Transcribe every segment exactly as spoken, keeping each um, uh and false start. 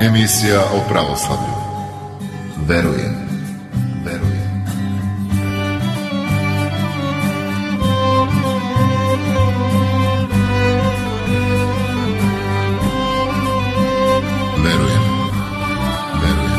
Emisija o pravoslavlju. Verujem, verujem. Verujem, verujem.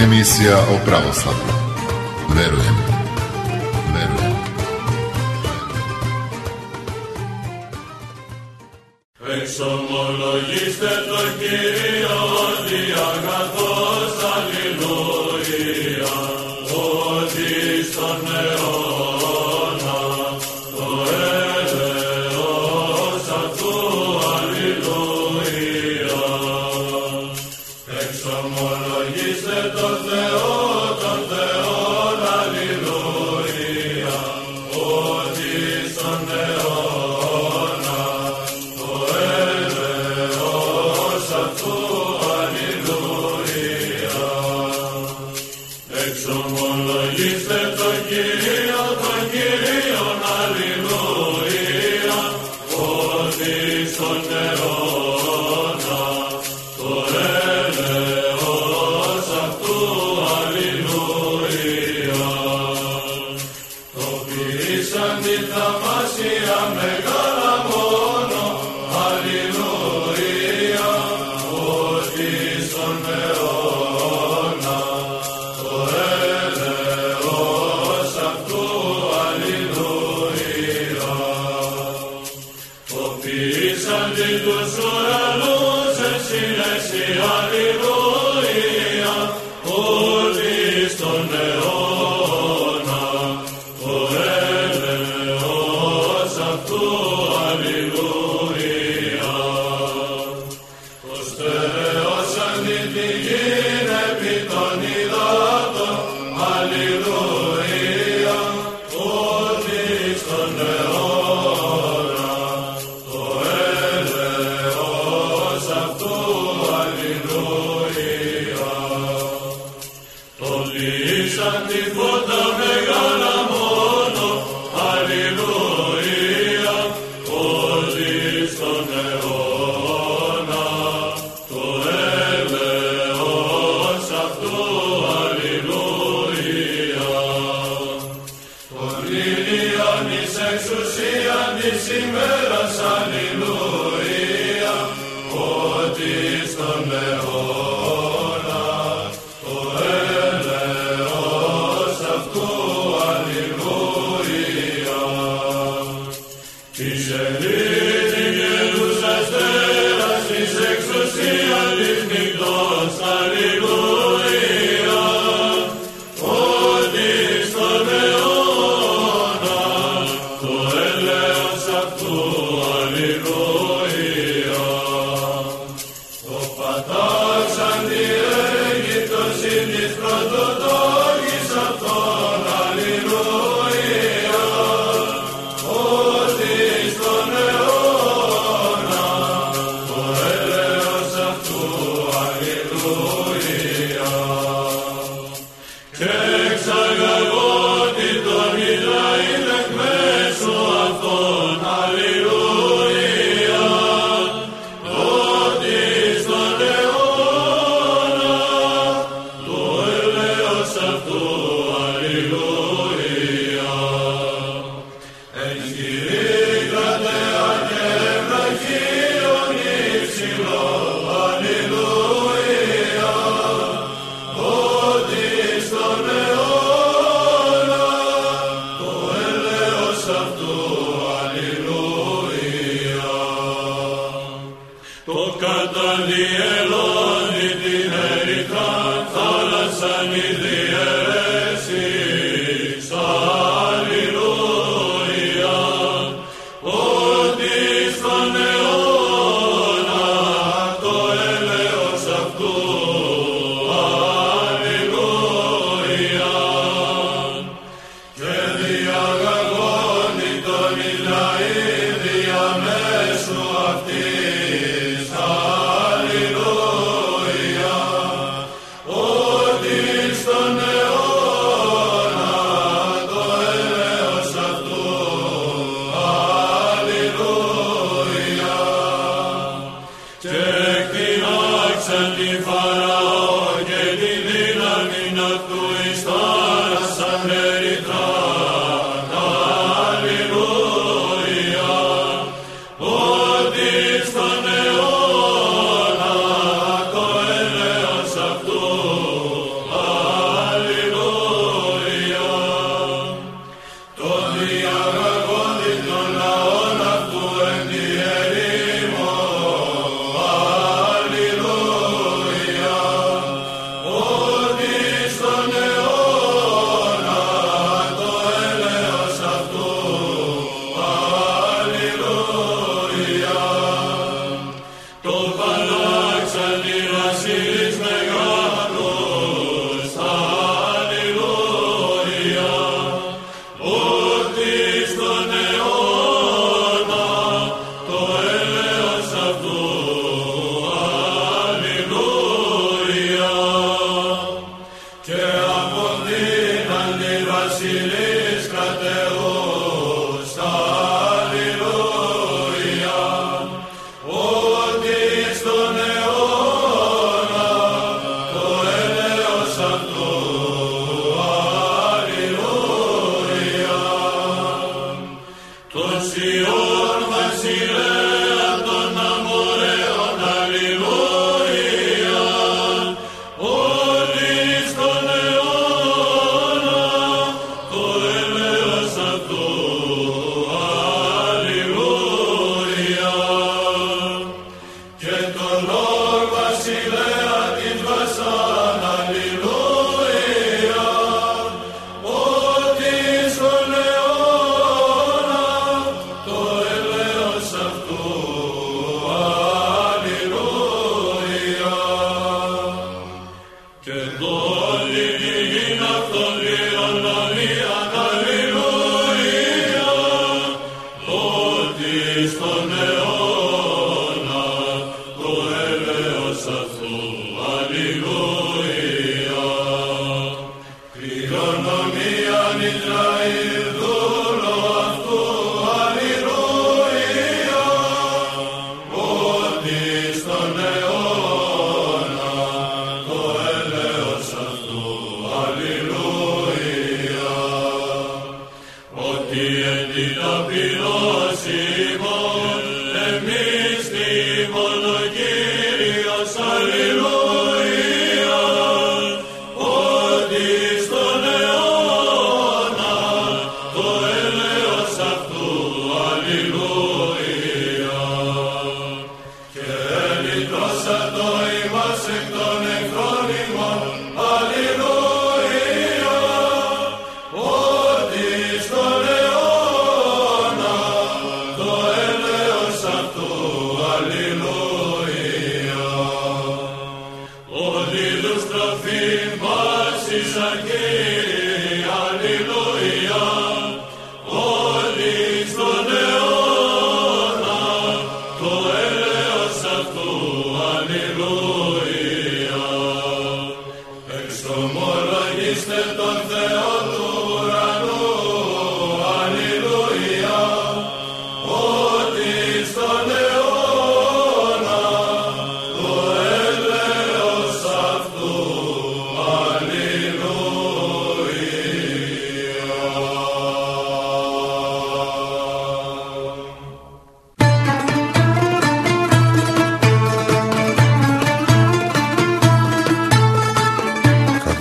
Emisija o pravoslavlju. Verujem, verujem. Εξομολογήστε το Κύριο διαγαθός, αλληλούια, ότι στον αιώνα το έλεος αυτού, αλληλούια. Εξομολογήστε το Θεό, τον Θεόν, αλληλούια, ότι στον αιώνα το έλεος αυτού, αλληλούια. Εξομολογήστε το Κύριο, τον Κύριον, αλληλούια, ότι στον αιώνα το έλεος αυτού, αλληλούια. Το ποιήσαν τη θαυμάσια μεγάλα μόνο, αλληλούια, ότι στον αιώνα το έλεος αυτού, αλληλούια. Το ποιήσαν τη τους ουρανούς εσύνεση, αλληλούια, ότι στον αιώνα το έλεος αυτού, αλληλούια. Το στερεώσαν την γην επί των υδάτων, αλληλούια, ότι στον αιώνα το έλεος αυτού, αλληλούια. Το λύσαν τη φώτα μεγάλα μόνο, αλληλούια, ότι στον αιώνα το έλεος αυτού, αλληλούια. Τον ήλιον εις εξουσίαν της ημέρας, αλληλούια, ότι στον αιώνα το έλεος αυτού, αλληλούια. Της ελίτη γελούς αστέρας, της εξουσίαν της νυχτός, αλληλούια, ότι στον αιώνα το έλεος αυτού,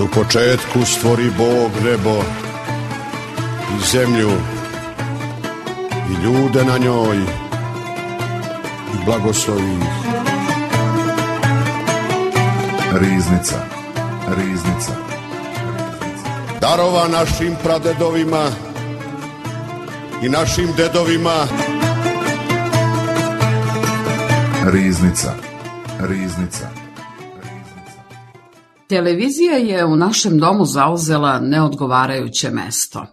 U početku stvori Bog nebo i zemlju i ljude na njoj i blagoslovi ih. Riznica, riznica. Darova našim pradedovima i našim dedovima. Riznica, riznica. Televizija je u našem domu zauzela neodgovarajuće mesto.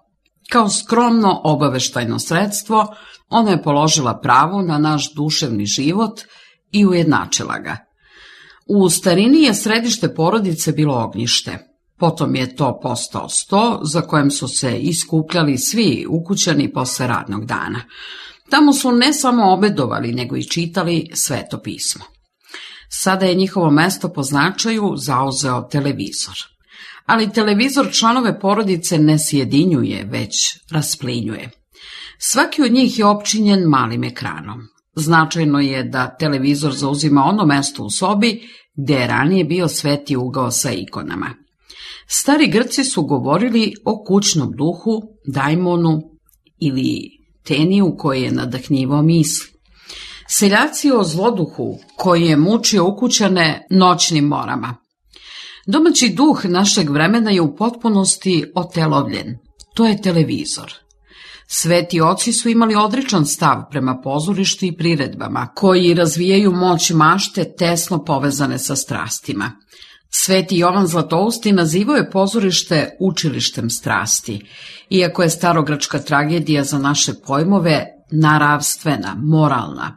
Kao skromno obaveštajno sredstvo, ona je položila pravo na naš duševni život i ujednačila ga. U starini je središte porodice bilo ognjište. Potom je to postao sto za kojem su se iskupljali svi ukućani posle radnog dana. Tamo su ne samo obedovali, nego i čitali Sveto pismo. Sada je njihovo mesto po značaju zauzeo televizor. Ali televizor članove porodice ne sjedinjuje, već rasplinjuje. Svaki od njih je opčinjen malim ekranom. Značajno je da televizor zauzima ono mesto u sobi gde je ranije bio sveti ugao sa ikonama. Stari Grci su govorili o kućnom duhu, dajmonu ili teniju koji je nadahnjivao misli. Seljaci o zloduhu koji je mučio ukućane noćnim morama. Domaći duh našeg vremena je u potpunosti otelovljen. To je televizor. Sveti oci su imali odričan stav prema pozorištu i priredbama, koji razvijaju moć mašte tesno povezane sa strastima. Sveti Jovan Zlatousti nazivao je pozorište učilištem strasti, iako je starogrčka tragedija za naše pojmove naravstvena, moralna.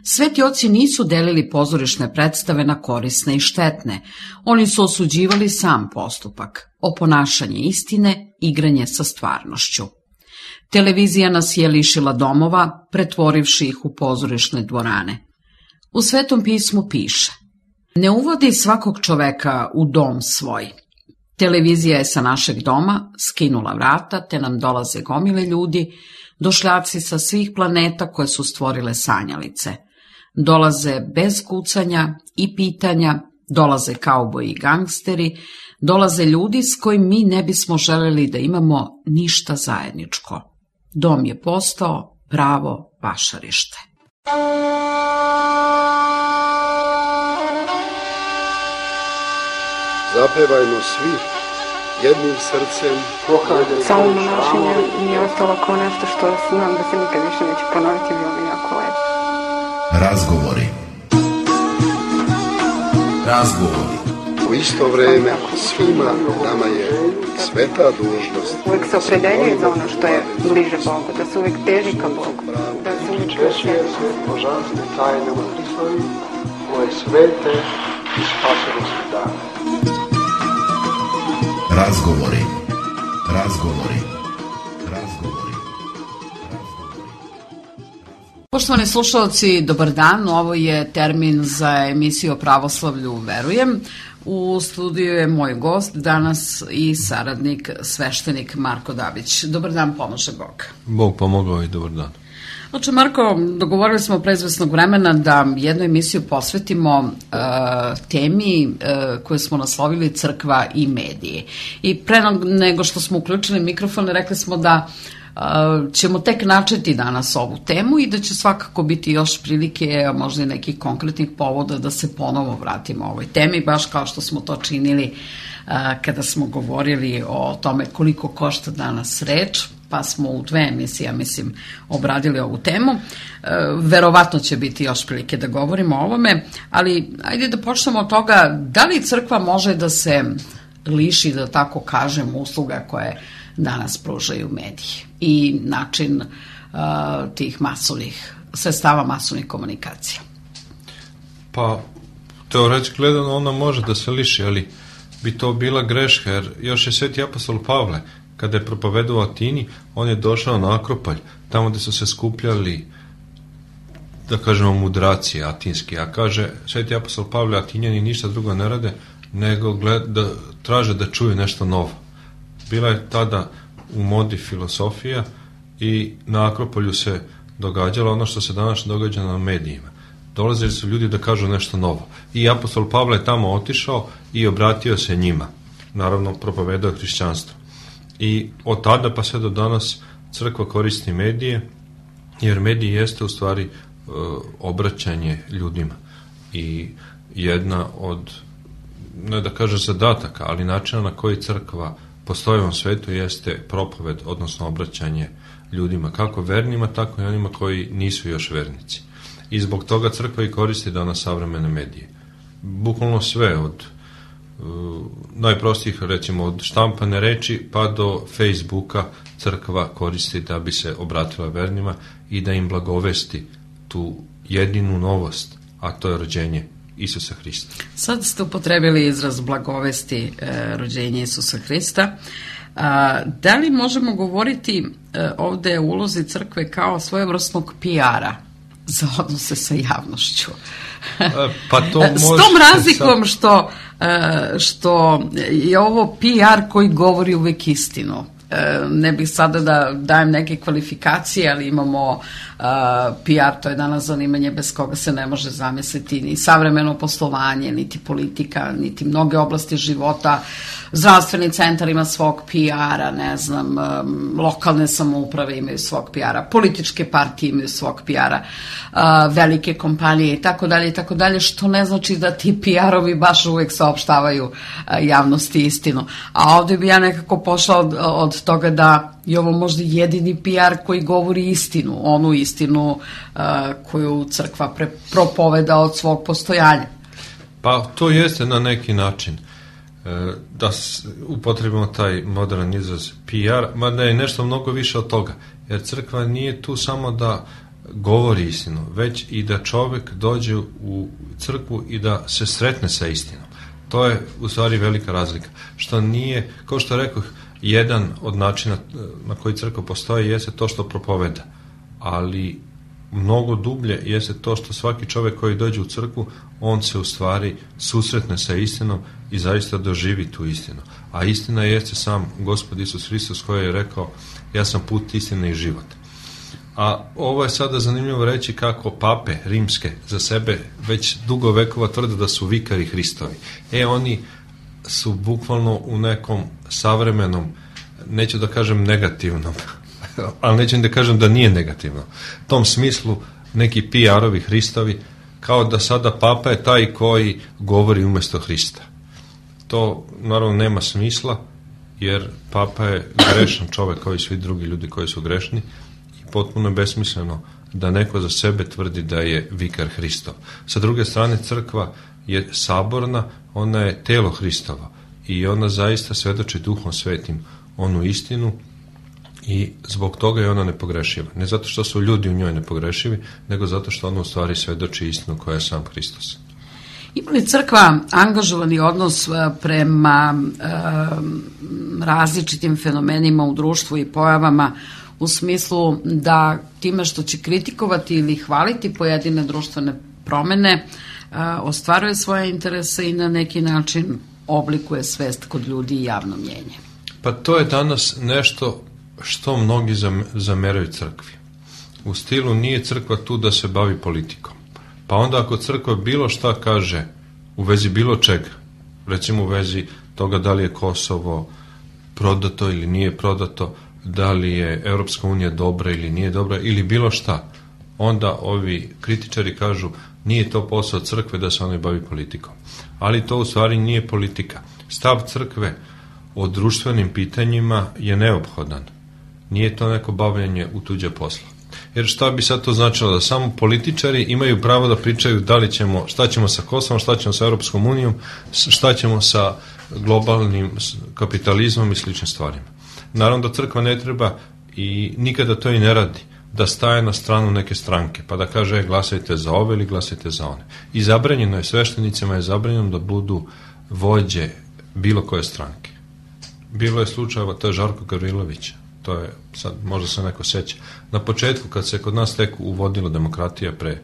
Sveti oci nisu delili pozorišne predstave na korisne i štetne. Oni su osuđivali sam postupak, oponašanje istine, igranje sa stvarnošću. Televizija nas je lišila domova, pretvorivši ih u pozorišne dvorane. U Svetom pismu piše: ne uvodi svakog čoveka u dom svoj. Televizija je sa našeg doma skinula vrata, te nam dolaze gomile ljudi, došljaci sa svih planeta koje su stvorile sanjalice. Dolaze bez kucanja i pitanja, dolaze kauboji i gangsteri, dolaze ljudi s kojim mi ne bismo želeli da imamo ništa zajedničko. Dom je postao pravo vašarište. Zapevajmo svi jednim srcem. Samo monašenje mi je ostalo kao nešto što znam da se nikad više neće ponoviti, bilo mi jako lepo. Razgovori. Razgovori. U isto vreme svima nama je sveta dužnost. Uvijek se opredeljuje za ono što je bliže Bogu, da se uvijek teži ka Bogu, da se uvijek česuje se božanstve tajne u Hristovi, koje svete i spasenosti dane. Razgovori. Razgovori. Razgovori. Poštovani slušalci, dobar dan. Ovo je termin za emisiju o pravoslavlju Verujem. U studiju je moj gost danas i saradnik, sveštenik Marko Dabić. Dobar dan, pomože Bog. Bog pomogao i dobar dan. Znači, Marko, dogovorili smo pre izvesnog vremena da jednu emisiju posvetimo uh, temi uh, koju smo naslovili Crkva i mediji. I pre nego što smo uključili mikrofon, rekli smo da uh, ćemo tek načeti danas ovu temu i da će svakako biti još prilike, možda i nekih konkretnih povoda da se ponovo vratimo ovoj temi, baš kao što smo to činili uh, kada smo govorili o tome koliko košta danas reč, pa smo u dve emisije, mislim, obradili ovu temu. E, verovatno će biti još prilike da govorimo o ovome, ali ajde da počnemo od toga da li crkva može da se liši, da tako kažem, usluga koje danas pružaju mediji i način uh, tih masovnih, sredstava masovnih komunikacija. Pa, teoretski gledano ona može da se liši, ali bi to bila greška, jer još je sveti apostol Pavle, kada je propovedao u Atini, on je došao na Akropolj, tamo gde su se skupljali, da kažemo, mudraci atinski, a kaže sveti apostol Pavle, Atinjani ništa drugo ne rade, nego gled, da, traže da čuju nešto novo. Bila je tada u modi filosofija i na Akropolju se događalo ono što se danas događa na medijima. Dolazili su ljudi da kažu nešto novo. I apostol Pavle je tamo otišao i obratio se njima. Naravno, propovedao hrišćanstvo. I od tada pa sve do danas crkva koristi medije, jer mediji jeste u stvari e, obraćanje ljudima. I jedna od, ne da kažem zadataka, ali načina na koji crkva postoji u ovom svetu jeste propoved, odnosno obraćanje ljudima, kako vernima, tako i onima koji nisu još vernici. I zbog toga crkva i koristi danas savremene medije. Bukvalno sve, od uh, najprostijih, recimo, od štampane reči pa do Facebooka crkva koristi da bi se obratila vernima i da im blagovesti tu jedinu novost, a to je rođenje Isusa Hrista. Sad ste upotrebili izraz blagovesti e, rođenja Isusa Hrista. A, da li možemo govoriti e, ovde o ulozi crkve kao svojevrsnog P R-a za odnose sa javnošću? E, pa to S tom razlikom što, e, što je ovo P R koji govori uvek istinu. Ne bih sada da dajem neke kvalifikacije, ali imamo uh, P R, to je danas zanimanje bez koga se ne može zamisliti ni savremeno poslovanje, niti politika, niti mnoge oblasti života. Zdravstveni centar ima svog P R-a, ne znam, um, lokalne samouprave imaju svog P R-a, političke partije imaju svog P R-a, uh, velike kompanije i tako dalje i tako dalje, što ne znači da ti P R-ovi baš uvek saopštavaju uh, javnosti istinu. A ovde bi ja nekako pošla od, od toga da je ovo možda jedini P R koji govori istinu, onu istinu uh, koju crkva pre, propoveda od svog postojanja. Pa to jeste na neki način. Da upotrebimo taj modern izraz P R, mada je nešto mnogo više od toga, jer crkva nije tu samo da govori istinu, već i da čovjek dođe u crkvu i da se sretne sa istinom. To je u stvari velika razlika. Što nije, kao što rekoh, jedan od načina na koji crkva postoji jeste to što propoveda, ali mnogo dublje jeste to što svaki čovjek koji dođe u crkvu, on se u stvari susretne sa istinom i zaista doživi tu istinu. A istina jeste sam Gospod Isus Hristos koji je rekao: ja sam put, istina i život. A ovo je sada zanimljivo reći kako pape rimske za sebe već dugo vekova tvrde da su vikari Hristovi. E, oni su bukvalno u nekom savremenom, neću da kažem negativnom, ali neću da kažem da nije negativno, u tom smislu neki P R-ovi Hristovi, kao da sada papa je taj koji govori umjesto Hrista. To naravno nema smisla, jer papa je grešan čovjek kao i svi drugi ljudi koji su grešni, i potpuno je besmisleno da neko za sebe tvrdi da je vikar Hristov. Sa druge strane, crkva je saborna, ona je telo Hristovo i ona zaista svedoči Duhom Svetim onu istinu, i zbog toga je ona nepogrešiva. Ne zato što su ljudi u njoj nepogrešivi, nego zato što ona u stvari svedoči istinu koja je sam Hristos. Ima li crkva angažovani odnos prema e, različitim fenomenima u društvu i pojavama, u smislu da time što će kritikovati ili hvaliti pojedine društvene promene, e, ostvaruje svoje interese i na neki način oblikuje svest kod ljudi i javno mnjenje? Pa to je danas nešto što mnogi zameraju crkvi. U stilu nije crkva tu da se bavi politikom. Pa onda ako crkva bilo šta kaže u vezi bilo čega, recimo u vezi toga da li je Kosovo prodato ili nije prodato, da li je Europska unija dobra ili nije dobra ili bilo šta, onda ovi kritičari kažu nije to posao crkve da se ona bavi politikom. Ali to u stvari nije politika. Stav crkve o društvenim pitanjima je neophodan. Nije to neko bavljenje u tuđe posla. Jer šta bi sad to značilo? Da samo političari imaju pravo da pričaju da li ćemo, šta ćemo sa Kosovom, šta ćemo sa Europskom unijom, šta ćemo sa globalnim kapitalizmom i sličnim stvarima. Naravno da crkva ne treba i nikada to i ne radi, da staje na stranu neke stranke, pa da kaže glasajte za ove ili glasajte za one. I zabranjeno je, sveštenicima je zabranjeno da budu vođe bilo koje stranke. Bilo je slučajeva, to je Žarko Gavrilović, to je, sad možda se neko seća. Na početku, kad se kod nas tek uvodila demokratija pre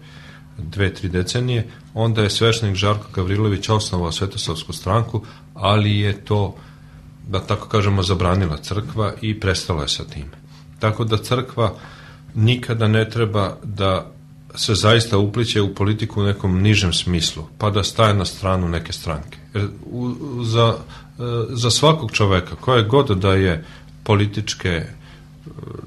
dve, tri decenije, onda je sveštenik Žarko Gavrilović osnovao Svetosavsku stranku, ali je to, da tako kažemo, zabranila crkva i prestala je sa time. Tako da crkva nikada ne treba da se zaista upliće u politiku u nekom nižem smislu, pa da staje na stranu neke stranke. Jer u, za, za svakog čoveka, koje god da je političke,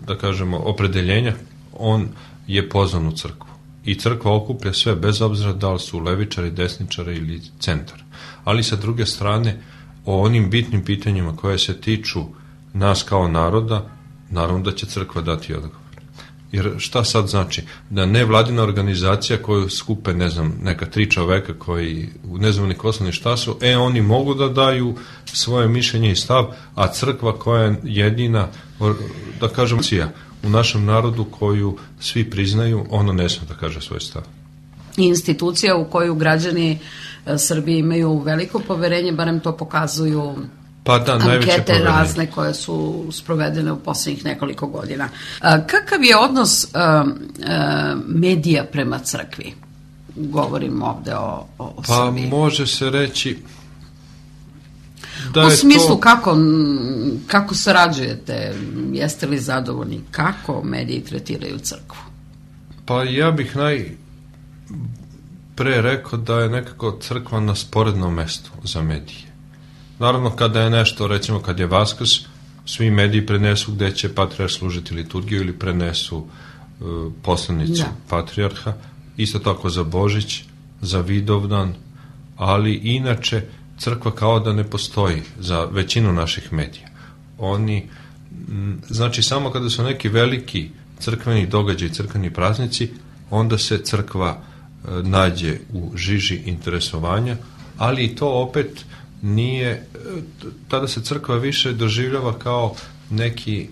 da kažemo, opredeljenja, on je pozvan u crkvu. I crkva okuplja sve, bez obzira da li su levičari, desničari ili centar. Ali sa druge strane, o onim bitnim pitanjima koje se tiču nas kao naroda, naravno da će crkva dati odgovor. Jer šta sad znači? Da nevladina organizacija koju skupe, ne znam, neka tri čoveka koji ne znam ni ko su ni šta su, e, oni mogu da daju svoje mišljenje i stav, a crkva koja je jedina, da kažem, u našem narodu koju svi priznaju, ono ne smije da kaže svoj stav. Institucija u koju građani Srbije imaju veliko poverenje, barem to pokazuju pa da, ankete razne koje su sprovedene u posljednjih nekoliko godina. Kakav je odnos medija prema crkvi? Govorim ovde o, o pa Srbiji. Pa može se reći da u je smislu to... kako, kako sarađujete, jeste li zadovoljni, kako mediji tretiraju crkvu? Pa ja bih naj pre rekao da je nekako crkva na sporednom mestu za medije. Naravno, kada je nešto, recimo kad je Vaskrs, svi mediji prenesu gde će patrijarh služiti liturgiju ili prenesu uh, poslanicu da. patrijarha, isto tako za Božić, za Vidovdan, ali inače crkva kao da ne postoji za većinu naših medija. Oni, m, znači samo kada su neki veliki crkveni događaji, crkveni praznici, onda se crkva uh, nađe u žiži interesovanja, ali i to opet nije, tada se crkva više doživljava kao neki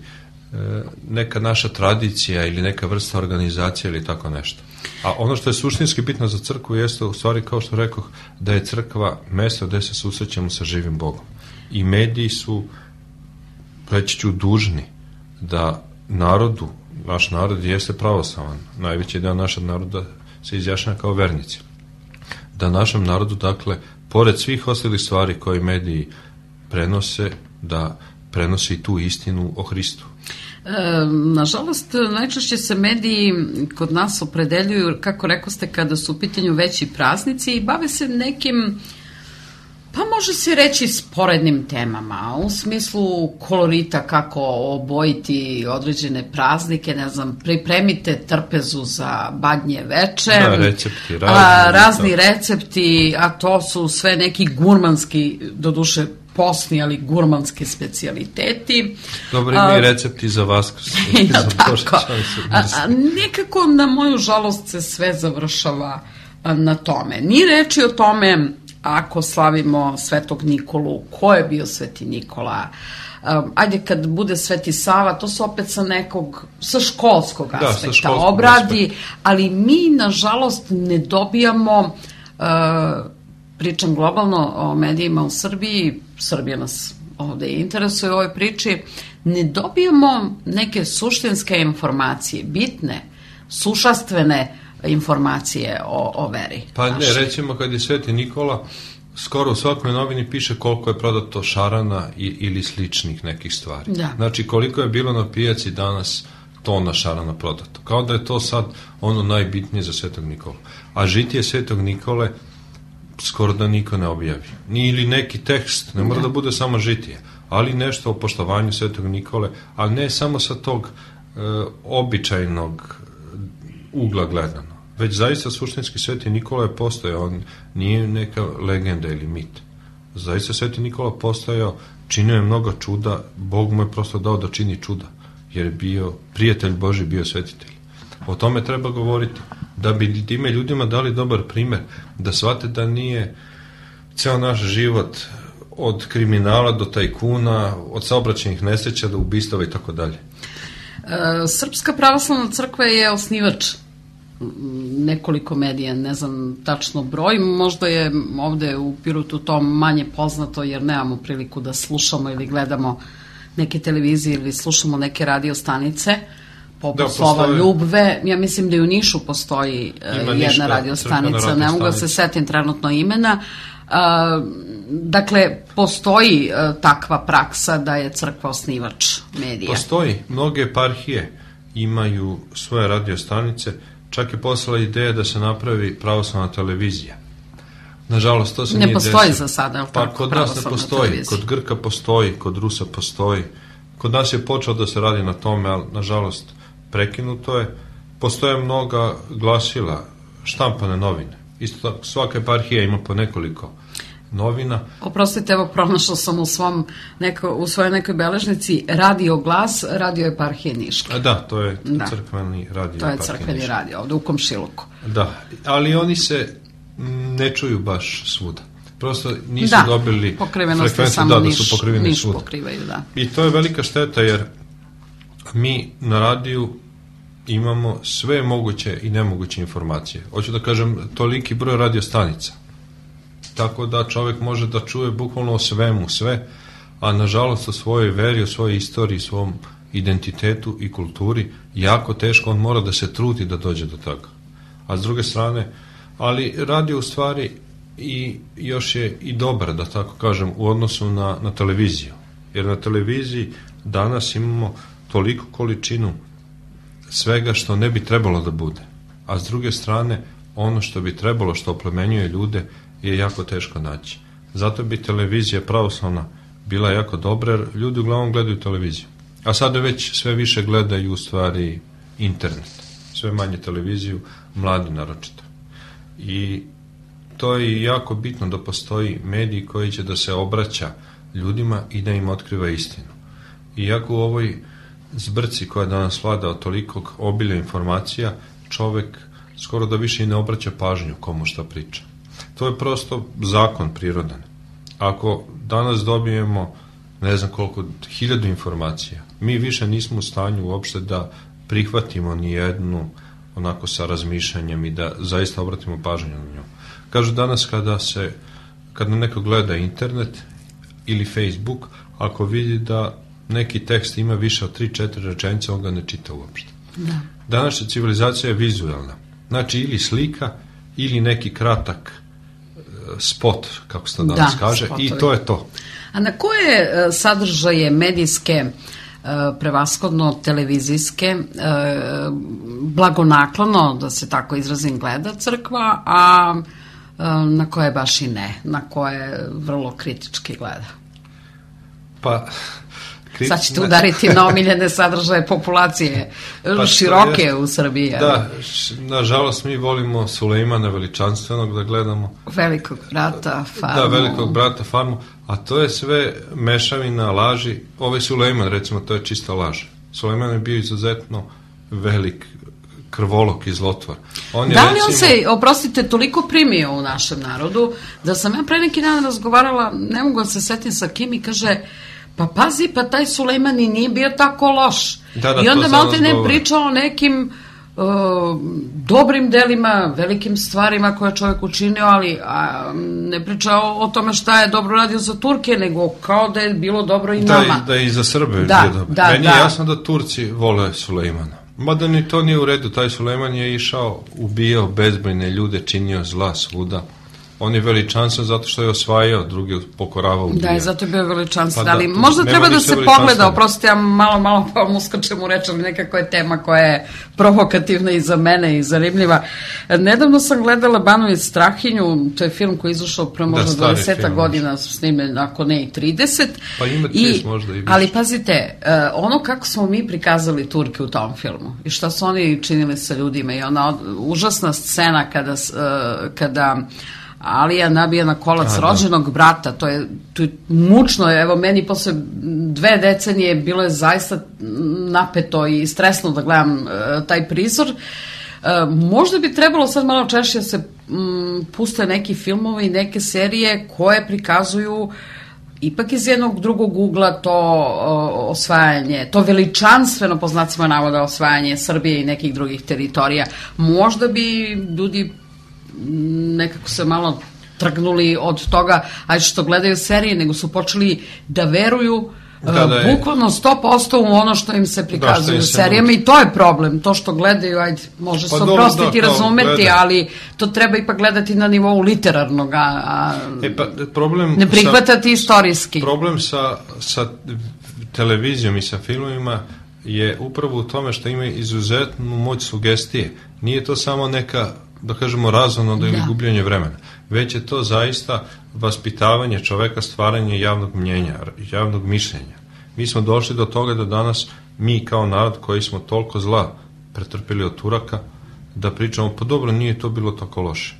neka naša tradicija ili neka vrsta organizacije ili tako nešto. A ono što je suštinski bitno za crkvu jeste u stvari, kao što rekoh, da je crkva mesto gde se susrećemo sa živim Bogom. I mediji su, reći ću, dužni da narodu, naš narod jeste pravoslavan, najveći deo našeg naroda se izjašnjava kao vernici, da našem narodu, dakle, pored svih ostalih stvari koje mediji prenose, da prenosi tu istinu o Hristu. E, nažalost, najčešće se mediji kod nas opredeljuju, kako rekoste, kada su u pitanju veći praznici i bave se nekim, pa može se reći, sporednim temama, u smislu kolorita, kako obojiti određene praznike, ne znam, pripremite trpezu za badnje veče, da, recepti, razni, a, razni to. recepti, a to su sve neki gurmanski, doduše posni, ali gurmanski specijaliteti. Dobro, ima i recepti za Vaskrs. Ja, za tako. A, a, nekako, na moju žalost, se sve završava a, na tome. Ni reči o tome, ako slavimo Svetog Nikolu, ko je bio Sveti Nikola, um, ajde kad bude Sveti Sava, to se opet sa nekog, sa školskog aspekta da, sa školskog obradi, aspekta. Ali mi, nažalost, ne dobijamo, uh, pričam globalno o medijima u Srbiji, Srbija nas ovde interesuje u ovoj priči, ne dobijamo neke suštinske informacije, bitne, sušastvene informacije o, o veri. Pa ne, naši. Recimo kad je Sveti Nikola, skoro u svakoj novini piše koliko je prodato šarana i, ili sličnih nekih stvari. Da. Znači koliko je bilo na pijaci danas tona šarana prodato. Kao da je to sad ono najbitnije za Svetog Nikolu. A žitije Svetog Nikole skoro da niko ne objavi. Ni ili neki tekst, ne mora da, da bude samo žitije, ali nešto o poštovanju Svetog Nikole, ali ne samo sa tog e, običajnog ugla gledano. Već zaista suštinski Sveti Nikola je postojao, on nije neka legenda ili mit. Zaista Sveti Nikola postojao, činio je mnogo čuda, Bog mu je prosto dao da čini čuda, jer je bio prijatelj Božji, bio svetitelj. O tome treba govoriti, da bi time ljudima dali dobar primer, da shvate da nije ceo naš život od kriminala do tajkuna, od saobraćajnih nesreća do ubistava i tako dalje. Srpska pravoslavna crkva je osnivač nekoliko medija, ne znam tačno broj, možda je ovde u Pirotu to manje poznato jer nemamo priliku da slušamo ili gledamo neke televizije ili slušamo neke radio stanice poput da, Slova Ljubve. Ja mislim da i u Nišu postoji Ima jedna ništa, radio stanica, ne mogu da se setim trenutno imena. Uh, dakle, postoji uh, takva praksa da je crkva osnivač medija. Postoji. Mnoge eparhije imaju svoje radio stanice, čak je poslala ideja da se napravi pravoslavna televizija. Nažalost, to se ne nije desilo. Ne postoji za sada, je li tako? Pa kod nas ne postoji, televizija. Kod Grka postoji, kod Rusa postoji. Kod nas je počeo da se radi na tome, ali nažalost prekinuto je. Postoje mnoga glasila, štampane novine. Isto tako, svaka eparhija ima po nekoliko novina. Oprostite, evo pronašao sam u, svom neko, u svojoj nekoj beležnici Radio Glas, Radio eparhije Niška. Da, to je da. crkveni radio. To je crkveni Niška. Radio, ovde u Komšiluku. Da, ali oni se ne čuju baš svuda. Prosto nisu da, dobili frekvenciju da, da niš, su pokriveni niš svuda. Pokrivaju, da. I to je velika šteta jer mi na radiju imamo sve moguće i nemoguće informacije. Hoću da kažem, toliki broj radio stanica. Tako da čovjek može da čuje bukvalno o svemu sve, a nažalost o svojoj veri, o svojoj istoriji, svom identitetu i kulturi, jako teško, on mora da se trudi da dođe do toga. A s druge strane, ali radio u stvari i još je i dobar, da tako kažem, u odnosu na, na televiziju. Jer na televiziji danas imamo toliku količinu svega što ne bi trebalo da bude. A s druge strane, ono što bi trebalo, što oplemenjuje ljude, je jako teško naći. Zato bi televizija pravoslavna bila jako dobra, jer ljudi uglavnom gledaju televiziju. A sada već sve više gledaju u stvari internet. Sve manje televiziju, mladi naročito. I to je jako bitno da postoji medij koji će da se obraća ljudima i da im otkriva istinu. Iako u ovoj zbrci koja danas vlada od tolikog obilja informacija, čovek skoro da više i ne obraća pažnju komu šta priča. To je prosto zakon prirodan. Ako danas dobijemo ne znam koliko, hiljadu informacija. Mi više nismo u stanju uopšte da prihvatimo ni jednu onako sa razmišljanjem i da zaista obratimo pažnju na nju. Kažu danas kada se, kada neko gleda internet ili Facebook, ako vidi da neki tekst ima više od tri četiri rečenice, on ga ne čita uopšte. Da. Današnja civilizacija je vizualna. Znači ili slika ili neki kratak spot, kako se to danas da, kaže, spotovi. I to je to. A na koje sadržaje medijske, prevashodno televizijske, blagonaklono, da se tako izrazim, gleda crkva, a na koje baš i ne, na koje vrlo kritički gleda? Pa... Kriti... Sad ćete udariti na omiljene sadržaje populacije pa široke je, u Srbiji. Da, nažalost mi volimo Sulejmana Veličanstvenog da gledamo. Velikog brata, Farmu. Da, Velikog brata, Farmu, a to je sve mešavina, laži. Ovaj Sulejman, recimo, to je čista laž. Sulejman je bio izuzetno velik krvolok i zlotvor. On je, da li recimo... on se, oprostite, toliko primio u našem narodu, da sam ja pre neki dan razgovarala, ne mogu da se setim sa kim, i kaže... Pa pazi, pa taj Sulejman i nije bio tako loš. Da, da, i onda malo te ne pričao o nekim uh, dobrim delima, velikim stvarima koje je čovjek učinio, ali a, ne pričao o tome šta je dobro radio za Turke, nego kao da je bilo dobro i da, nama. Da, i za Srbe je da, bio dobro. Da, Meni da. je jasno da Turci vole Sulejmana. Mada ni to nije u redu. Taj Sulejman je išao, ubijao bezbrojne ljude, činio zla svuda. On je veličanstven zato što je osvajao, drugi pokoravao, ubijao. Da, i zato je bio veličanstven, pa ali da, možda treba da se pogleda, oprostite, ja malo, malo pa mu skačem u reč, ali nekako je tema koja je provokativna i za mene i zanimljiva. Nedavno sam gledala Banović Strahinju, to je film koji je izašao pre možda da, dvadeset godina, snime, ako ne i trideset. Pa ima trideset možda i više. Ali pazite, ono kako smo mi prikazali Turke u tom filmu i šta su oni činili sa ljudima i ona užasna scena kada... kada Alija nabija na kolac A, rođenog da. brata, to je, to je mučno, evo meni posle dve decenije bilo je zaista napeto i stresno da gledam uh, taj prizor. Uh, možda bi trebalo sad malo češće da se um, puste neki filmovi i neke serije koje prikazuju ipak iz jednog drugog ugla to uh, osvajanje, to veličanstveno po znacima navoda osvajanje Srbije i nekih drugih teritorija. Možda bi ljudi nekako se malo trgnuli od toga, ajde što gledaju serije, nego su počeli da veruju da, da uh, bukvalno sto posto u ono što im se prikazuju da, u serijama moći. I to je problem, to što gledaju, ajde, može pa se oprostiti i da, razumeti, gleda. Ali to treba ipak gledati na nivou literarnog, a e, pa, problem ne prihvatati sa, istorijski. Problem sa, sa televizijom i sa filmovima je upravo u tome što ima izuzetnu moć sugestije. Nije to samo neka, da kažemo, razonoda ili gubljenje vremena, već je to zaista vaspitavanje čoveka, stvaranje javnog mnjenja, javnog mišljenja. Mi smo došli do toga da danas mi kao narod koji smo toliko zla pretrpili od Turaka, da pričamo, pa dobro, nije to bilo tako loše.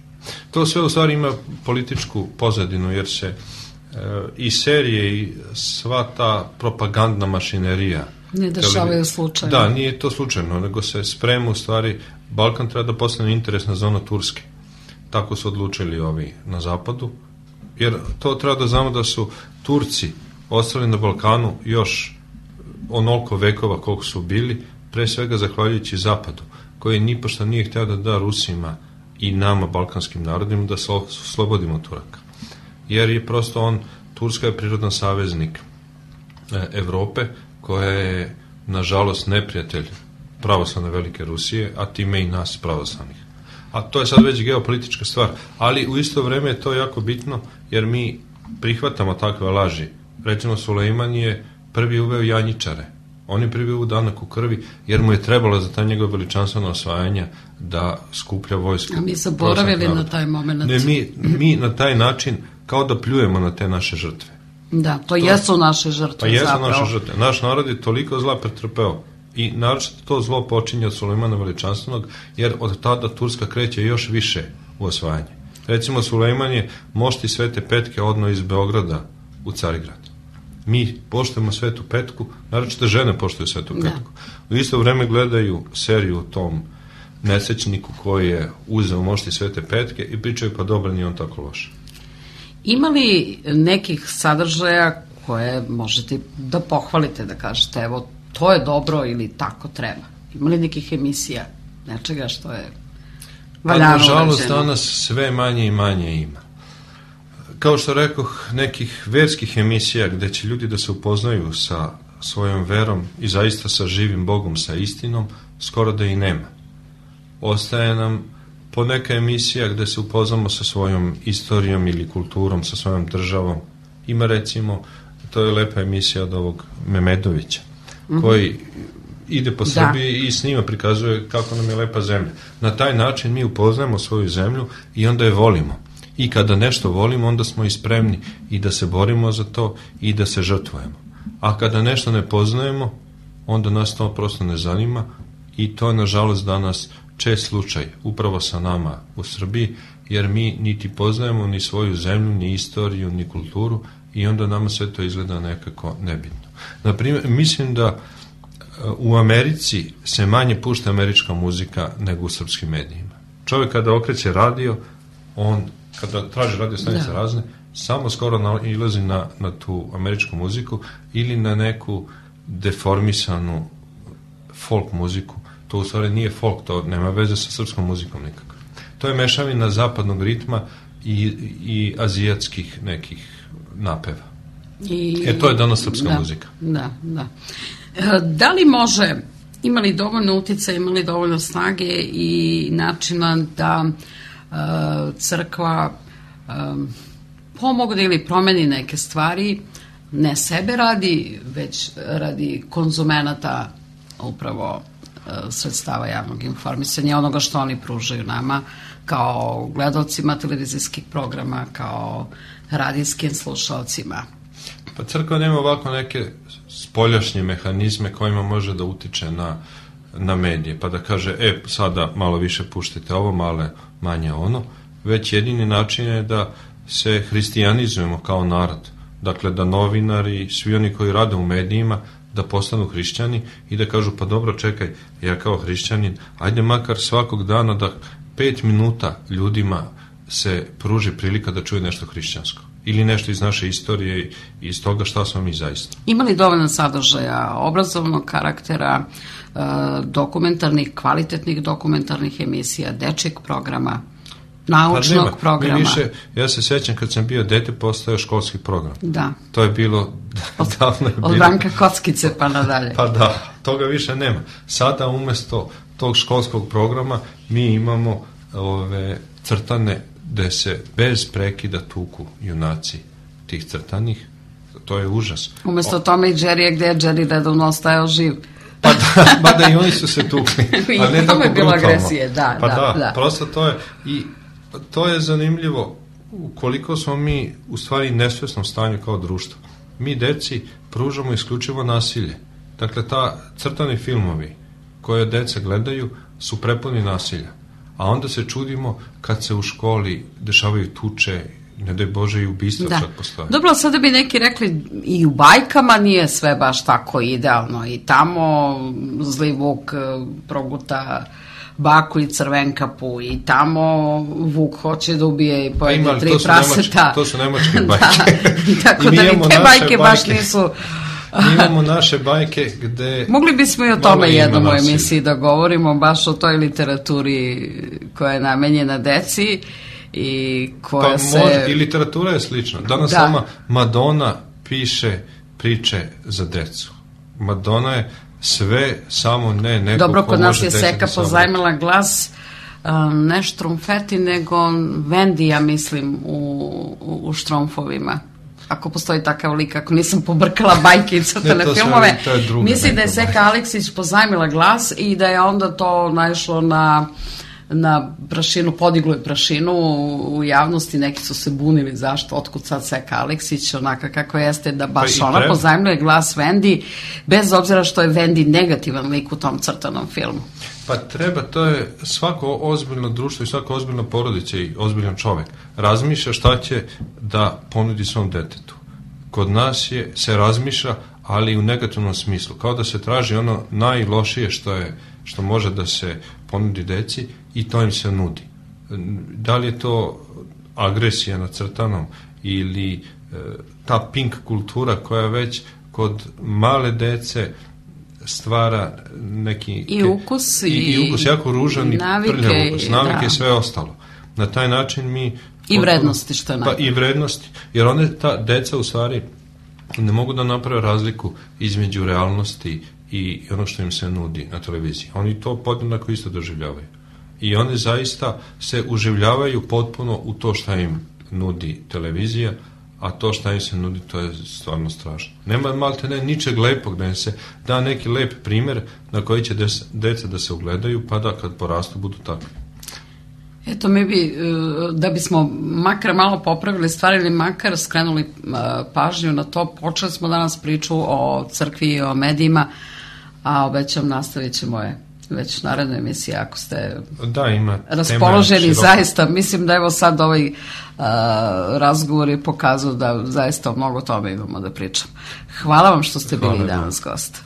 To sve u stvari ima političku pozadinu, jer se e, i serije i sva ta propagandna mašinerija ne dešavaju slučajno. Da, nije to slučajno, nego se sprema u stvari, Balkan treba da postane interesna zona Turske. Tako su odlučili ovi na zapadu, jer to treba da znamo da su Turci ostali na Balkanu još onoliko vekova koliko su bili, pre svega zahvaljujući zapadu, koji nipošto nije hteo da da Rusima i nama, balkanskim narodima, da se slobodimo Turaka. Jer je prosto on, Turska je prirodan saveznik Evrope, koja je, nažalost, neprijatelj pravoslavne velike Rusije, a time i nas pravoslavnih. A to je sad već geopolitička stvar, ali u isto vreme je to jako bitno, jer mi prihvatamo takve laži. Recimo, Sulejman je prvi uveo janjičare. On je prvi uveo danak u krvi, jer mu je trebalo za ta njegova veličanstvena osvajanja da skuplja vojsku. A mi zaboravili na taj moment. Ne, mi, mi na taj način kao da pljujemo na te naše žrtve. Da, to, to jesu naše žrtve. Pa jesu zapravo. naše žrtve. Naš narod je toliko zla pretrpeo i naročito to zlo počinje od Sulejmana Veličanstvenog, jer od tada Turska kreće još više u osvajanje. Recimo, Sulejman je mošti Svete Petke odno iz Beograda u Carigrad. Mi poštujemo Svetu Petku, naročito žene poštuju Svetu Petku. Da. U isto vreme gledaju seriju o tom nesrećniku koji je uzeo mošti Svete Petke i pričaju, pa dobro, nije on tako loš. Ima li nekih sadržaja koje možete da pohvalite, da kažete evo to je dobro ili tako treba? Ima li nekih emisija, nečega što je valjano? Pa nažalost urađeno? danas sve manje i manje ima. Kao što rekoh, nekih verskih emisija gde će ljudi da se upoznaju sa svojom verom i zaista sa živim Bogom, sa istinom, skoro da i nema. Ostaje nam poneka emisija gde se upoznamo sa svojom istorijom ili kulturom, sa svojom državom. Ima recimo, to je lepa emisija od ovog Memedovića, mm-hmm. koji ide po Srbiji da. I s njima prikazuje kako nam je lepa zemlja. Na taj način mi upoznajemo svoju zemlju i onda je volimo. I kada nešto volimo, onda smo i spremni i da se borimo za to i da se žrtvujemo. A kada nešto ne poznajemo, onda nas to prosto ne zanima i to je nažalost danas čest slučaj upravo sa nama u Srbiji, jer mi niti poznajemo ni svoju zemlju, ni istoriju, ni kulturu i onda nama sve to izgleda nekako nebitno. Naprimjer, mislim da u Americi se manje pušta američka muzika nego u srpskim medijima. Čovjek kada okreće radio, on kada traži radio stanice da. razne, samo skoro nailazi na, na tu američku muziku ili na neku deformisanu folk muziku. To u stvari nije folk, to nema veze sa srpskom muzikom nikako. To je mešavina zapadnog ritma i, i azijatskih nekih napeva. I, e, to je danas srpska da, muzika. Da, da. Da li može, ima li dovoljno uticaja, ima li dovoljno snage i načina da uh, crkva um, pomogne ili promeni neke stvari, ne sebe radi, već radi konzumenata upravo uh, sredstava javnog informisanja, onoga što oni pružaju nama kao gledalcima televizijskih programa, kao radijskim slušalcima. Pa crkva nema ovako neke spoljašnje mehanizme kojima može da utiče na, na medije, pa da kaže, e, sada malo više puštite ovo, malo manje ono, već jedini način je da se hristijanizujemo kao narod. Dakle, da novinari, svi oni koji rade u medijima, da postanu hrišćani i da kažu, pa dobro, čekaj, ja kao hrišćanin, ajde makar svakog dana da pet minuta ljudima se pruži prilika da čuje nešto hrišćansko. Ili nešto iz naše istorije i iz toga šta smo mi zaista. Ima li dovoljno sadržaja obrazovnog karaktera, dokumentarnih, kvalitetnih dokumentarnih emisija, dečjeg programa, naučnog pa programa? Mi više, ja se sećam kad sam bio dete, postao školski program. Da. To je bilo od, davno je bilo. Od Branka Kockice pa nadalje. Pa da, toga više nema. Sada umesto tog školskog programa mi imamo ove crtane gde se bez prekida tuku junaci tih crtanih. To je užas. Umesto o... tome i Jerry, gde je Jerry redovno ostajao živ. Pa da, ba da i oni su se tukli. Ali ne tako je bilo brutalno. Agresije, da, pa da, da, da. Prosto to je, i to je zanimljivo koliko smo mi u stvari nesvesnom stanju kao društvo. Mi deci pružamo isključivo nasilje. Dakle, ta crtani filmovi koje deca gledaju su prepuni nasilja. A onda se čudimo kad se u školi dešavaju tuče, ne daj Bože i ubistva da. Čak postoje. Dobro, sada bi neki rekli i u bajkama nije sve baš tako idealno. I tamo zli Vuk proguta baku i Crvenkapu i tamo Vuk hoće da ubije i pojede pa tri to praseta. Nemačke, to su nemačke bajke. Da, tako da ni te bajke baš nisu... Mi imamo naše bajke gde... Mogli bismo i o tome jednom u emisiji da govorimo, baš o toj literaturi koja je namenjena deci i koja pa se... Može, i literatura je slična. Danas da. Sama Madonna piše priče za decu. Madonna je sve, samo ne neko dobro, ko kod nas može je Seka pozajmila glas, um, ne Štrumfeti, nego Vendi, ja mislim, u, u, u Štromfovima. Ako postoji takav lik, ako nisam pobrkala bajke i crtane filmove, mislim da je Seka Aleksić pozajmila glas i da je onda to naišlo na, na prašinu, podiglo je prašinu u javnosti, neki su se bunili zašto, otkud sad Seka Aleksić, onaka kako jeste, da baš pa ona pozajmljuje glas Vendi, bez obzira što je Vendi negativan lik u tom crtanom filmu. Pa treba, to je svako ozbiljno društvo i svako ozbiljna porodica i ozbiljan čovek razmišlja šta će da ponudi svom detetu. Kod nas je, se razmišlja, ali u negativnom smislu, kao da se traži ono najlošije što je, što može da se ponudi deci i to im se nudi. Da li je to agresija na crtanom ili ta pink kultura koja već kod male dece stvara neki i ukus i, i ukus jako ružan i prljav ukus, navike da. I sve ostalo. Na taj način mi i vrednosti što je pa i vrednosti, jer one ta deca u stvari ne mogu da naprave razliku između realnosti i ono što im se nudi na televiziji. Oni to podjednako isto doživljavaju. I oni zaista se uživljavaju potpuno u to šta im nudi televizija, a to šta im se nudi, to je stvarno strašno. Nema malte ne ničeg lepog, da im se da neki lep primjer na koji će des, deca da se ugledaju, pa da kad porastu budu takvi. Eto, mi bi, da bismo makar malo popravili stvari ili makar skrenuli pažnju na to, počeli smo danas priču o crkvi i o medijima, a obećam nastavit ćemo je već narednoj emisiji ako ste da, ima raspoloženi zaista. Mislim da evo sad ovaj uh, razgovor je pokazao da zaista mnogo tome imamo da pričamo. Hvala vam što ste bili danas gost.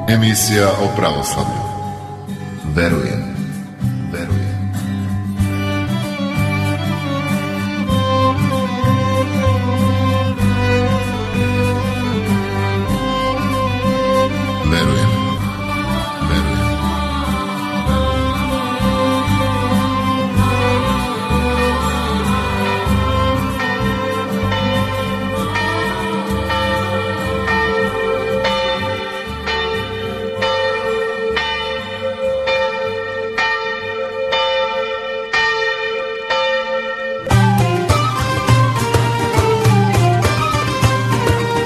Emisija o pravoslavlju. Verujem. Verujem. Verujem. Verujem.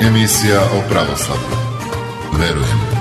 Emisija o pravoslavlju. Verujem.